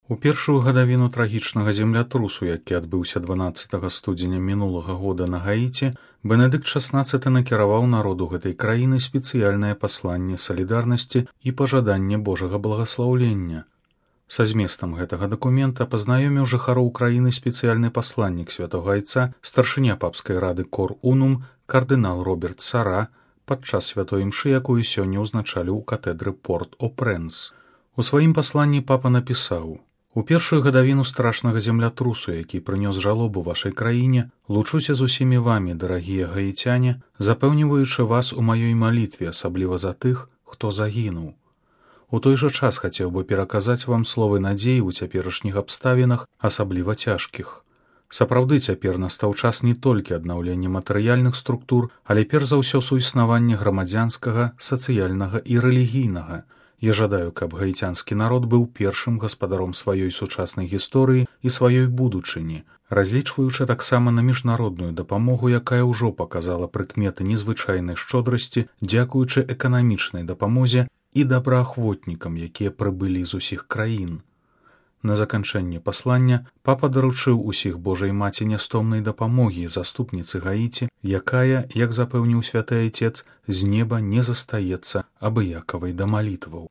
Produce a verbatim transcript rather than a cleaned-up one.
У першую гадавіну трагічнага землятрусу, які адбыўся дванаццатага студзеня мінулага года на Гаіці, Бенедыкт шаснаццаты накіраваў народу гэтай краіны спецыяльнае пасланне салідарнасці і пажаданне Божага благаслаўлення. Са зместам гэтага дакумента пазнаёміў жыхароў краіны спецыяльны пасланнік святога айца, старшыня папскай рады Кор Унум, кардынал Роберт Сара, падчас святой імшы, якую сёння ўзначалі ў катэдры Порт-о-Прэнс. У сваім пасланні папа напісаў: «У першую гадавіну страшнага землятрусу, які прынёс жалобу вашай краіне, лучуся з усімі вамі, дарагія гаіцяне, запэўніваючы вас у маёй малітве, асабліва за тых, хто загінуў. У той жа час хацеў бы пераказаць вам словы надзеі ў цяперашніх абставінах, асабліва цяжкіх. Сапраўды цяпер настаў час не толькі аднаўлення матэрыяльных структур, але перш за ўсё суіснавання грамадзянскага, сацыяльнага і рэлігійнага. Я жадаю, каб гаіцянскі народ быў першым гаспадаром сваёй сучаснай гісторыі і сваёй будучыні, разлічваючы таксама на міжнародную дапамогу, якая ўжо паказала прыкметы незвычайнай шчодрасці, дзякуючы эканамічнай дапамозе і добраахвотнікам, якія прыбылі з усіх краін». На заканчэнне паслання папа даручыў усіх Божай маці нястомнай дапамогі, заступніцы Гаіці, якая, як запэўніў святы айцец, з неба не застаецца абыякавай да малітваў.